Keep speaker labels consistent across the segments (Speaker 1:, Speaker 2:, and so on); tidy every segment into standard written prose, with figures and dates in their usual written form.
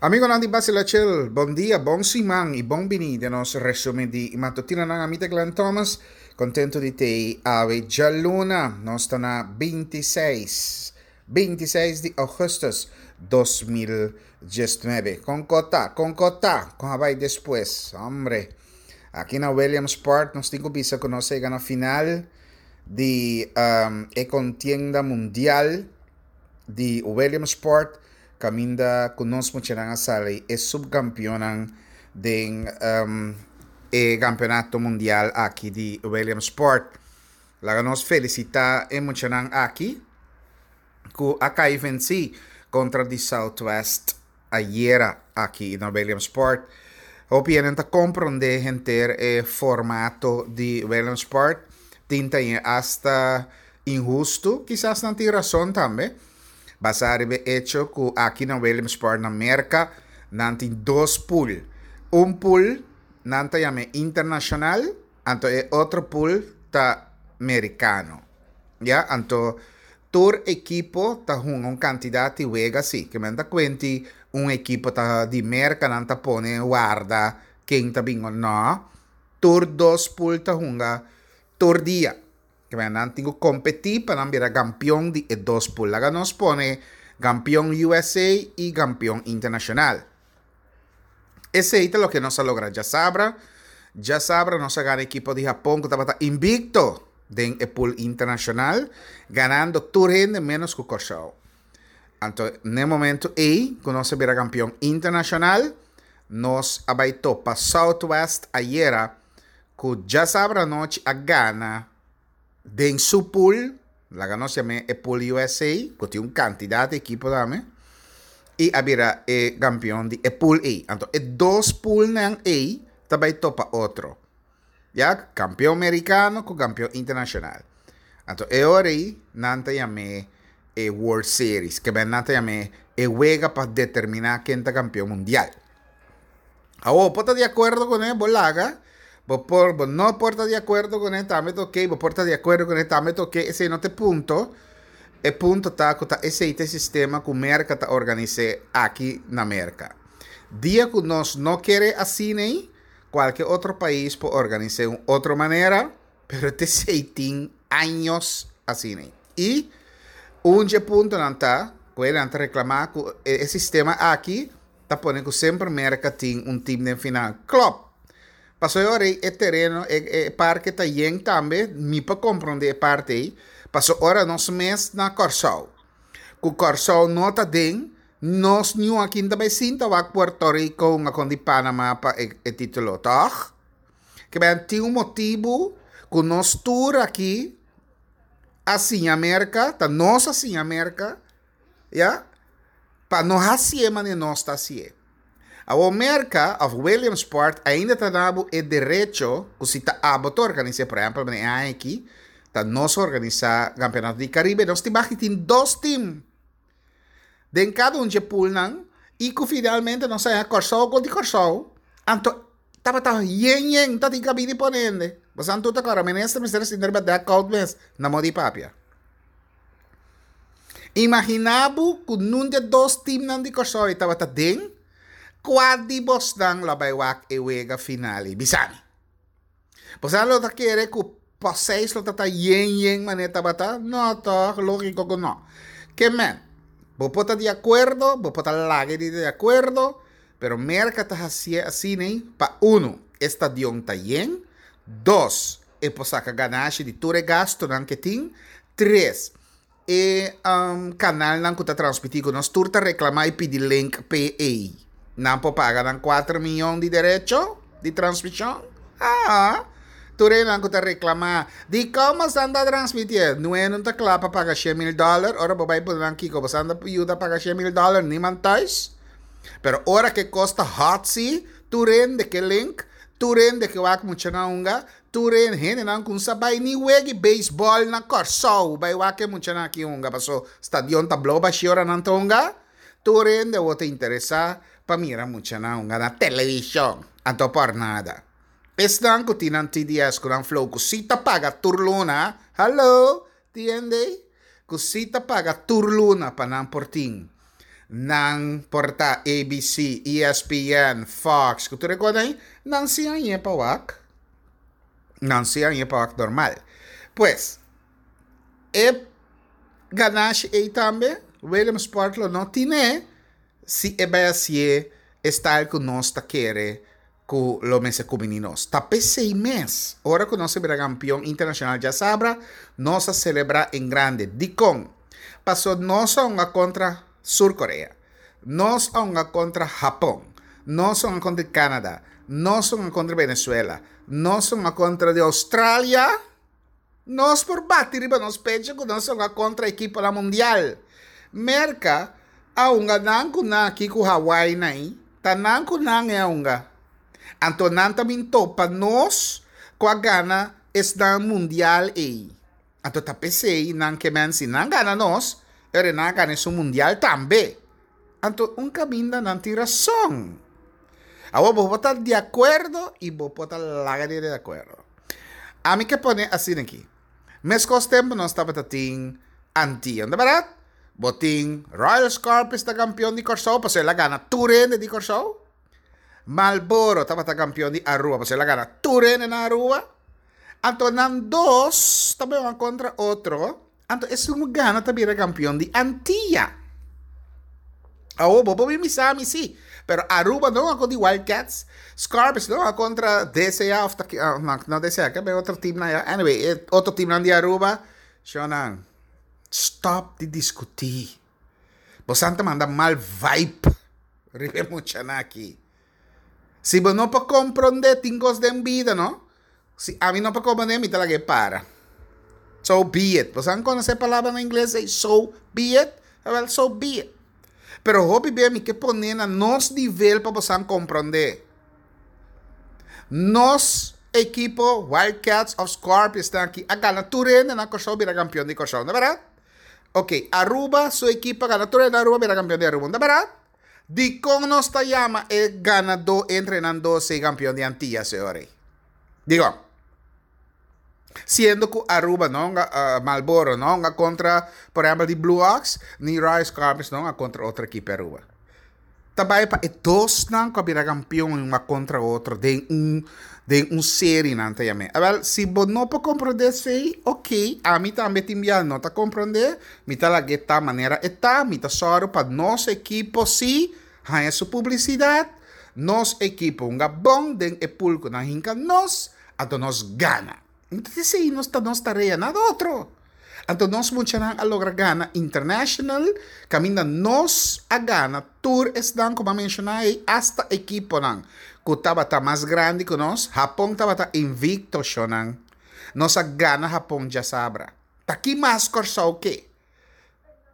Speaker 1: Amigonan di Basila Chill, bon dia, bon siman y bon bini den nos resumen di matutinonan. Ami ta Glenn Thomas, contento di tei awe djaluna. Nos ta na 26, 26 di augustus 2019. Con ko ta? Con ko ta? Con a bai despues? Hombre, aki na Williamsport nos tin cu bisa cu nos a yega na final di um, e contienda mundial di Williamsport. Kaminda ku nos muchanan a sali e subkampionnan den e kampeonato mundial aki di Williamsport. Laga nos felisitá e muchanan aki ku a kai vensí kontra di Southwest ayera aki na Williamsport. Hopi hende ta komprondé henter e formato di Williamsport. Tin ta hasta inhustu, kisas nan tin rason tambe. Basá riba e echo ku aki na Williamsport na Merka nan tin dos pool. Un pool nan ta yam'é internashonal, anto e otro pool ta merikano. Ya, anto tur ekipo ta hunga un kantidat di wega si. Ke men ta kuenti un ekipo ta di Merka nan ta pone warda ken ta bin o no. Tur dos pool ta hunga tur dia. Kibera nan tin ku kompetí pa nan bira kampion di e dos pool. Laga nos pone kampion USA i kampion internashonal. Esei ta loke nos a logra djasabra. Djasabra nos a gana ekipo di Hapon ku tabata invikto den e pool internashonal, ganando tur hende ménos ku Kòrsou. Anto n'e momento ei ku nos a bira kampion internashonal, nos a bai topa Southwest ayera ku djasabra anochi a gana den su pool, laga nos yam'é e pool USA, ku tin un kantidat di ekipo tambe, i a bira e kampion di e pool ei. Anto e dos poolnan ei ta bai topa otro. Ya, kampion merikano ku kampion internashonal. Anto e ora ei nan ta yam'é e World Series, ke nan ta yam'é e wega pa determiná ken ta kampion mundial. Awor, bo por ta di akuerdo kuné, bo laga, bo por, bo no por ta di akuerdo kuné, tambe ta okey, bo por ta di akuerdo kuné, tambe ta okey, esei no ta e punto. E punto ta ku ta esei ta e sistema ku Merka ta organis'é aki na Merka. Dia ku nos no kere asina ei, kualke otro pais por organis'é un otro manera, pero ta esei tin años asina ei. I un dje puntonan ta ku e nan ta reklamá ku e sistema aki ta pone ku semper Merka tin un tim den final. Klòp! Pasobra e ora ei e tereno, e e parke ta yen tambe, mi por komprondé e parti ei, pasobra ora nos mes na Kòrsou, ku Kòrsou no ta den, nos niun akin ta bai sinta wak Puerto Rico hunga kon di Panama pa e e título, tòg? Ke ben tin un motibu ku nos tur aki a siña Merka, ta nos a siña Merka, Ya? Pa no hasié manera nos ta hasié. Awor Merka of Williamsport ainda ta duna bo e derecho ku si ta abo ta organis'é, por ehèmpel manera e aña aki ta nos organisá Kampeonato di Karibe, nos tin baki tin dos tim den kada un dje poolnan i ku finalmente nos a haña Kòrsou kontra Kòrsou, anto tabata yen yen ta tin kabini pone hende. Boso anto ta kòrda minister mester a sinta riba dèk kout mes na modi papia. Imaginá bo ku nun di e dos timnan di Kòrsou ei tabata den, kua di bosnan lo a bai wak e wega final ei? Bisa mi. Boso lo ta kere ku Poseis lo ta ta yen yen manera tabata? No tòg, lógiko ku no. Ke men, bo por ta di akuerdo, bo por ta laga di ta di akuerdo, pero Merka ta hasié asina ei pa unu, e stadion ta yen, dos, e por saka ganashi di tur e gastunan ke tin, Tres, e kanalnan ku ta transmití ku nos tur ta reklamá i pidi link p'e. Nan por paga nan kuater miyon di derecho di transmishon? Haa! Tur enan ku ta reklamá, dikon bosan ta transmitié? Nue no ta kla pa paga shen mil dòler, ora bo bai pone nan kiko bosan ta yuda paga shen mil dòler, niman thuis. Pero ora ku e kos ta hòt si, tur hende ke link, tur hende ke wak muchanan hunga, Tur e hendenan ku sa bai ni wega beisbòl na Kòrsou bai wak e muchanan aki hunga paso stadion ta blou bashí ora nan ta hunga. Tur hende awor ta interesá pa mira muchanan hunga na televishon. Anto por nada. Esnan ku tin nan TDS ku nan Flow ku si ta paga tur luna, hallo, tin hende ei? Ku si ta paga tur luna pa nan por tin. Nan por ta ABC, ESPN, Fox, ku tur e kos ei, nan si a hañ'é pa wak. Nan si a hañ'é pa wak normal. Pues, e ganashi ei tambe Williamsport lo no tine si e bai hasié e style ku nos ta kere ku lo mester kumini nos. Ta p'esei mes, ora ku nos a bira kampion internashonal djasabra, nos a selebrá en grande. Dikon? Paso nos a hunga kontra Sur Korea, nos a hunga kontra Hapon, nos a hunga kontra Canada, nos a hunga kontra Venezuela, nos a hunga kontra di Australia. Nos por bati riba nos pecho ku nos a hunga kontra ekiponan mundial. Merka a hunga nan ku nan aki ku Hawaii na ei, ta nan ku nan e a hunga. Anto nan ta bin topa nos ku a gana esnan mundial ei. Anto ta p'esei nan ke men si nan gana nos, e ora nan a gana esun mundial tambe. Anto un kaminda nan tin rason. Awor bo por ta di akuerdo i bo por ta laga di di akuerdo. Ami ke pone asina aki. Meskos tempu nos tabata tin Antia, no ta bèrdat? Bo tin Royal Scorpions ta kampion di Kòrsou pasobra el a gana tur hende di Kòrsou. Marlboro tabata kampion di Aruba pasobra el a gana tur hende na Aruba. Anto nan dos ta beba kontra otro, anto esun ku gana ta bira kampion di Antia. Awor bo por bin bisa mi si, pero Aruba no a kontra di Wildcats, Scorpions no a kontra DCA of ta no, no DCA, ke otro team nan ya. Anyway, e otro teamnan di Aruba, shownan, stop di diskutí. Bosan ta manda mal vibe riba e muchanan aki. Si bo no por comprende tin cos den bida no. Si ami no por comprende mi ta laga e para. So be it. Bo san conoce e palabra na ingles ey so be it? Awel so be it. Pero hopi bia mi ke pone na nos nivel pa bo san comprende. Nos ekipo Wildcats of Scorpions ta aki a gana tur hende na Kòrsou bira kampion di Kòrsou, no bèrdat? Ok, Aruba su ekipo a gana tur hende na Aruba bira kampion di Aruba, no ta bèrdat? Dikon nos ta yama e ganadó entre nan dos e kampion di Antia, señor Rey? Dikon? Siendo ku Aruba no hunga, Marlboro no hunga kontra, por ehèmpel, di Blue Ox, ni Royal Scorpions no hunga kontra otro ekipo di Aruba. Ta bai pa e dosnan ku a bira kampion hunga kontra otro den un den un serie nan ta yam'é. Awèl, si bo no por komprondé esei, oké, ami tambe tin bia no ta komprondé, mi ta lag'é ta manera e ta, mi ta sòru pa nos ekipo sí haña su publisidat, nos ekipo hunga bon den e pool ku nan hinka nos, anto nos gana. Entonces esei nos ta nos tarea, nada otro. Anto nos muchanan a logra gana international, caminda nos a gana tur esnan cu mi a menciona ey, hasta equiponan cu tabata mas grandi cu nos. Japon tabata invicto, shonan. Nos a gana Japon djasabra. Ta ki mas Corsou ke?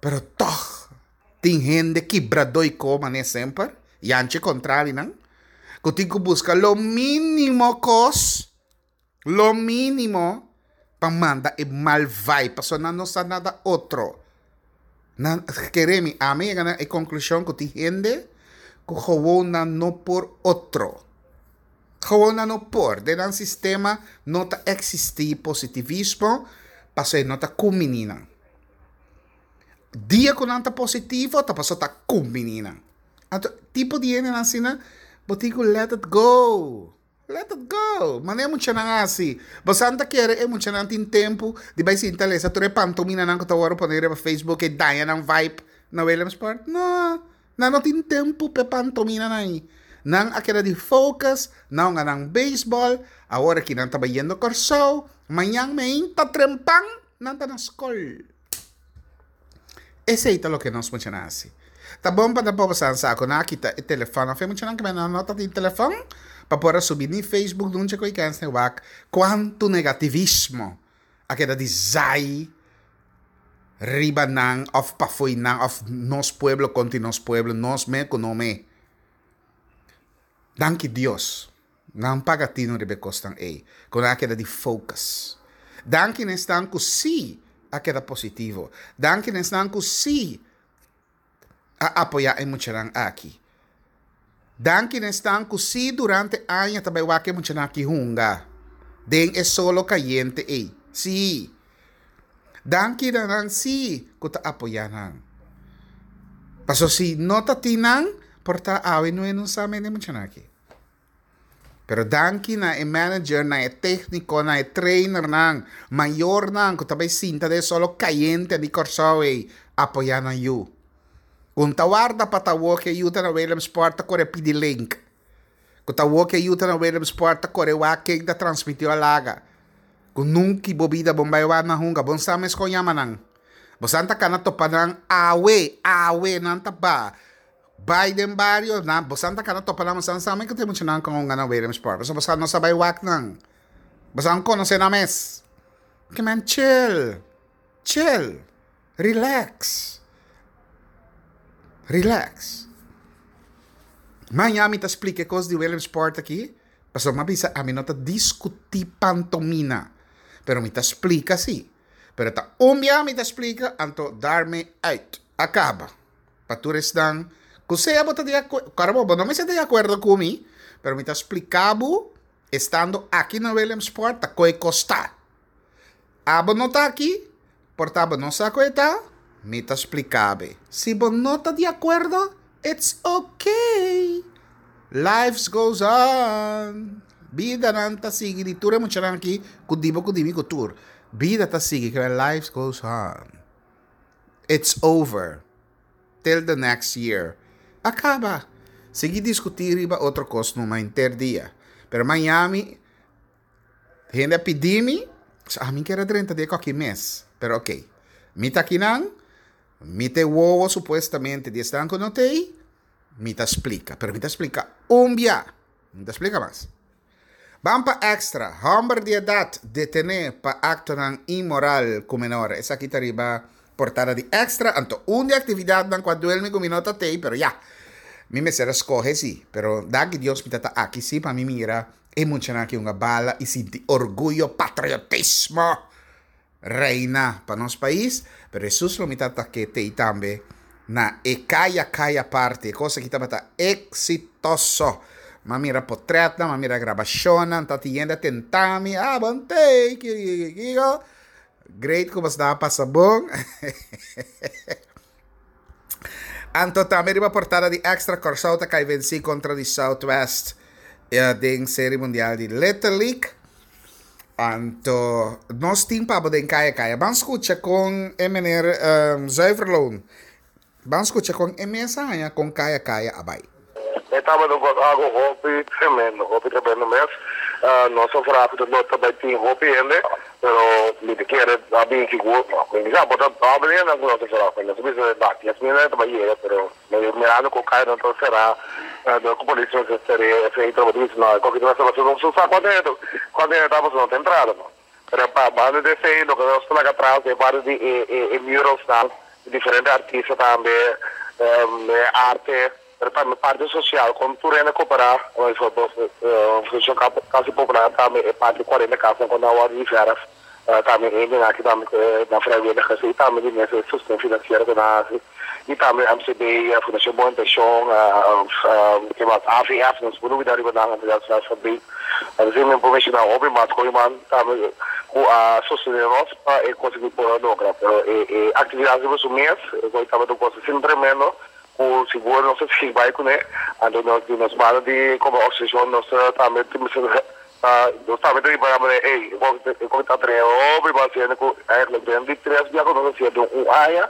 Speaker 1: Pero toch tin hende kibradó y ko mane semper, yanchi contrarinan, cu tin cu busca lo minimo cos. Lo mínimo pa manda e mal vibe, pasobra nan no sa nada otro. Nan, kere mi, ami yega na e konklushon ku tin hende ku gewoon nan no por otro. Gewoon nan no por. Den nan sistema no ta eksistí positivismo, pasobra e no ta kumbiní nan. Dia ku nan ta positivo ta pasobra ta kumbiní nan. Anto, tipo di hendenan asina, bo tin ku let it go. Let it go! Manera e muchanan a hasi. Bosan ta kere e muchanan tin tempu di bai sinta lesa tur e pantominanan ku ta wòrdu pone riba Facebook e daña nan vibe na Williamsport? No! Nan no tin tempu pa e pantominanan ei. Nan a keda di focus na hunga nan beisbòl, awor aki nan ta bayendo Kòrsou, mañan meinta trempan nan ta na skol. Esei ta loke nos muchanan hasi. Ta bon pa nan por bosan sa ku nan a kita e telefòn. Afe muchanan ku nan no ta tin telefòn pa por a subi ni Facebook nunca ku e kens ni wak kuantu negativismo a keda di zai riba nan òf pafoi nan òf nos pueblo kontra nos pueblo, nos me ku no me. Danki Dios. Nan paga tino riba e kosnan ei, ku nan a keda di focus. Danki na esnan ku sí a keda positivo. Danki na esnan ku sí a apoyá e muchanan aki. Danki na esnan ku sí durante aña ta bai wak e muchanan aki hunga den e solo kayente ei. Sí. Danki na nan sí ku ta apoyá nan. Paso si no ta tin nan, por ta awe no e no sa mende muchanan aki. Pero danki na e manager, na e técnico, na e trainernan, mayornan ku ta bai sinta den solo kayente di Kòrsou ei, apoyá nan yu. Ku ta warda pa ta awor ku e yu ta na Williamsport ta kore pidi link. Ku ta awor ku e yu ta na Williamsport ta kore wak ken ta transmitió a laga. Ku nunki bo bida bon bai wak na hunga, bon sa mes kon yama nan. Bo san ta kana topa nan awe, awe nan ta ba. Bai den bario, nan, bosan ta kana topa nan, bosan sa mi ku tin muchanan ku hunga na Williamsport, pasobra bosan no sa bai wak nan. Bosan konosé nan mes. Ke men chill, chill, relax, relax. Maña mi ta splika e kos di Williamsport aki, pasobra mi a bisa ami no ta diskutí pantomina, pero mi ta splika si. Pero ta un bia mi ta splika, anto daarmee uit, a kaba. Pa tur esnan ku sea bo ta di akuerdo, kòrda bo, bo no mester ta di akuerdo ku mi, pero mi ta splika bo, estando aki na Williamsport ta koe kos ta. Abo no ta aki, por ta bo no sa koe ta, mi ta splika be. Si bo no ta di akuerdo, it's okay. Life goes on. Bidanan ta sigui di tur e muchanan aki ku di bo ku di mi ku tur. Bida ta sigui, life goes on. It's over. Till the next year. A kaba. Sigui diskutí riba otro kos numa henter dia. Pero Miami, hende a pidi mi, so ami kier a drenta den koki mes. Pero ok. Mi ta akinan, mi ta e wowo supuestamente di esnan ku no ta ei, mi ta splika. Pero mi ta splika un bia. Mi ta splika mas. Ban pa extra, Hòmber di edat detené pa aktonan inmoral ku menor. Esaki ta riba portada di Extra. Anto un di aktividatnan ku a duel mi ku mi no ta tei, pero ya, mi mester a skohe si. Pero danki Dios mi ta ta aki si pa mi mira e muchanan aki hunga bala i sinti orguyo, patriotismo reina pa nos pais. Pero Hesus lo mi ta ta ke tei tambe na e kaya kaya party. E kos aki tabata eksitoso. Mi a mira potretnan, mi a mira grabashonnan, ta tin hende a tenta mi, ah bon tei, kiko kiko kiko. Great ku boso a pasa bon. Anto tambe riba portada di Extra Kòrsou ta kai vensí kontra di Southwest den Seri Mundial di Little League. Anto nos tin pa bo den kaya kaya. Ban skucha kon e meneer Zuiverloon, ban skucha kon e mes a haña kon kaya kaya a bai.
Speaker 2: E tabata un kos algo hopi tremendo, hopi tremendo mes. Nos a vraag ku no ta bai tin hopi hende, pero mi ta kere a bin sigur, no, mi bisa bo ta doble hende ku nos a vraag, nos a bisa ba 10,000 hende ta bai yega, pero mirando ku kaya no ta será, dor ku polis mester ser'é etcetera, bo ta bisa no, e koki ta mester pasobra nos no sa kuantu hende kuantu hende ta pasobra no ta entrada no. Pero pa banda di esei loke nos ta laga atras den parti di e muralsnan, di diferente artista tambe, e arte, pero tambe parti sosial kon tur hende koperá, Fundashon Kasi Popular tambe e parti 40 kasnan ku nan wòrdu di vèrf, tambe hendenan aki tambe ku nan vrijwilligers i tambe di mes e sosten finansiero ku nan hasi i tambe MCB, Fundashon Bon Intenshon, ke mas AVF, nos por lubida riba nan, Fabriek. Asina mi por menshoná hopi mas koiman tambe ku a sostené nos pa e kos aki por a logra. Pero e e aktividat riba su mes e kos tabata un kos asina tremendo ku sigur nos a sigui bai kuné. Anto nos di nos banda di komo organisashon nos ta tambe tin mester ta nos tambe ta ripará manera ey e kos e kos ta trae hopi mas hende ku eigenlijk den di tres bia ku nos a hasié den un aña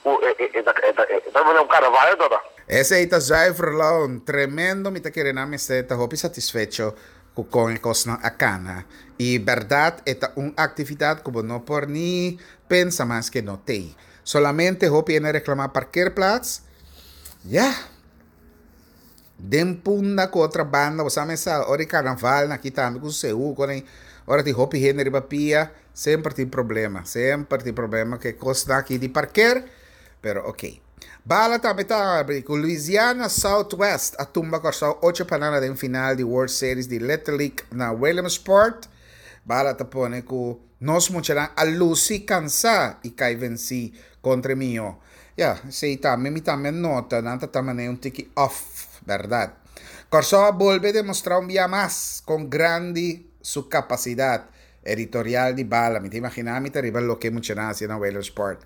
Speaker 2: ku e e ta e ta e ta manera un karnaval e tabata.
Speaker 1: Esei ta zuiver loon. Tremendo mi ta kere nan mester ta hopi satisfecho ku kon e kosnan a kana. I bèrdat e ta un aktividat ku bo no por ni pensa mas ke no tei. Solamente hopi hende a reklamá parkeerplaats. Ya. Den Punda ku otro banda bo sa mesa ora di karnaval na aki tambe ku seú kon ei ora tin hopi hende riba pia semper tin problema. Semper tin problema ku e kosnan aki di parkeer pero oke. Bala tambe ta habri ku Louisiana Southwest a tumba Kòrsou ocho pa nada den final di World Series di Little League na Williamsport. Bala ta pone ku nos muchanan a lusi kansá i kai vensí kontra e mihó. Ya, esei tambe mi tambe a nota, nan ta ta manera un tiki off, bèrdat. Kòrsou a bolbe demostrá un bia mas kon grandi su kapasidat. Editorial di Bala, mi ta imaginá mi ta riba loke muchanan hasi na Williamsport.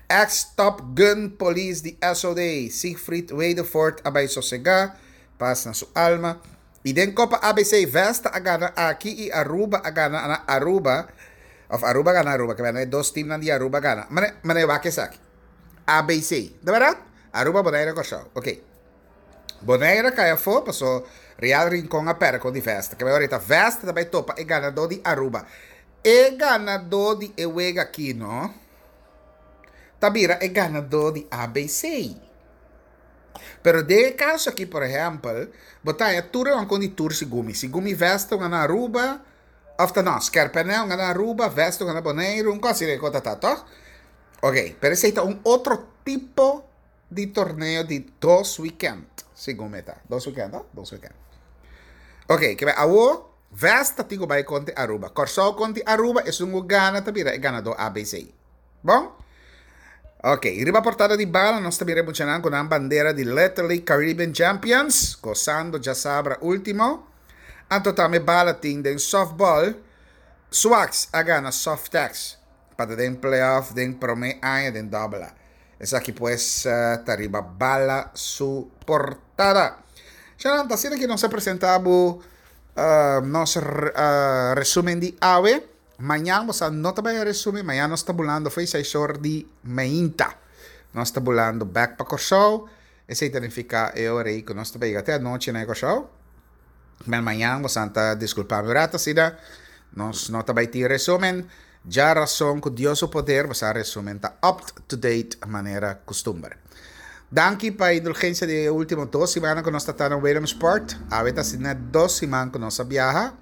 Speaker 1: Ex Top Gun Polis di SOD, Siegfried Wedefort a bai sosegá, pas na su alma. I den Kopa ABC, Vesta a gana aki i Aruba a gana na Aruba, òf Aruba a gana Aruba, ke bèn e dos timnan di Aruba a gana. Mane, mane wak esaki. ABC, ta bèrdat? Aruba, Bonaire, Kòrsou. Oké. Bonaire a kai afó paso Real Rincon a pèrdè kon di Vesta. Ke bai ora ta Vesta ta bai topa e ganadó di Aruba. E ganadó di e wega aki no ta bira e ganadó di ABC. Pero den e kaso aki por ehèmpel bo ta haña tur e wankon di tur Sigumi. Sigumi Vesta un gana Aruba òf ta no Skerpènè un gana Aruba, Vesta un gana Boneiru, un kos asina e kos ta ta tòg? Oké, pero esei ta un otro tipo di torneo di dos weekend, segun mi ta. Dos weekend, no? Dos weekend. Ok, ke awo Vesta tin ku bai kontra Aruba. Kòrsou kontra Aruba, esun ku gana ta bira e ganadó ABC. Bon? Ok, riba portada di bala nos ta mira e muchanan ku nan bandera di Little League Caribbean Champions, gosando djasabra último. Anto tambe bala tin den softball, Swax a gana Softex pa ta den playoff den promé aña den Double A. Esaki pues ta riba bala su portada. Sharon, ta asina ki nos a presenta bo nos resumen di awe. Mañan bo sa no ta bai a resumen, mañan nos ta bulando fo'i seis or di meinta. Nos ta bulando bek pa Kòrsou. Esei ta nifiká e ora ei ku nos ta bai yega te anochi na e Kòrsou. Men mañan bo san ta diskulpa mi un rato asina. Nos no ta bai tin resumen. Djarason ku Dios su poder bo sa resumen ta up to date manera kustumber. Danki pa e indulgensia di e ultimo dos simannan ku nos ta ta na Williamsport. Awe ta asina dos siman ku nos a biaha.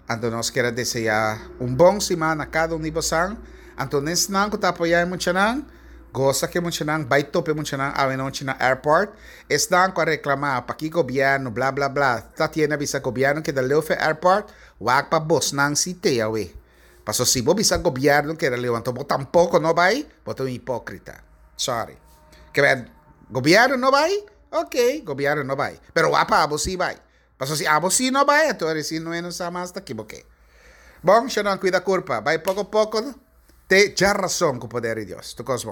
Speaker 1: Anto nos kier a deseá un bon siman na kada un di bosan. Anto nesnan ku ta apoyá e muchanan, gosa ku e muchanan, bai topa e muchanan awe nochi na airport. Esnan ku a reklamá paki gobièrnu bla bla bla ta tiene a bisa gobièrnu keda leu for e airport, wak pa bosnan si te awe. Paso si bo bisa gobièrnu keda leu anto bo tampoko no bai, bo ta un hipókrita. Sorry. Ke ber gobièrnu no bai? Ok, gobièrnu no bai. Pero wak pa abo si bai. Paso si abo si no bai anto resi no e no sa mas ta kiboke. Bon, shonnan kuida kurpa. Bai poko poko te djarason ku poder di Dios. Tur kos bon.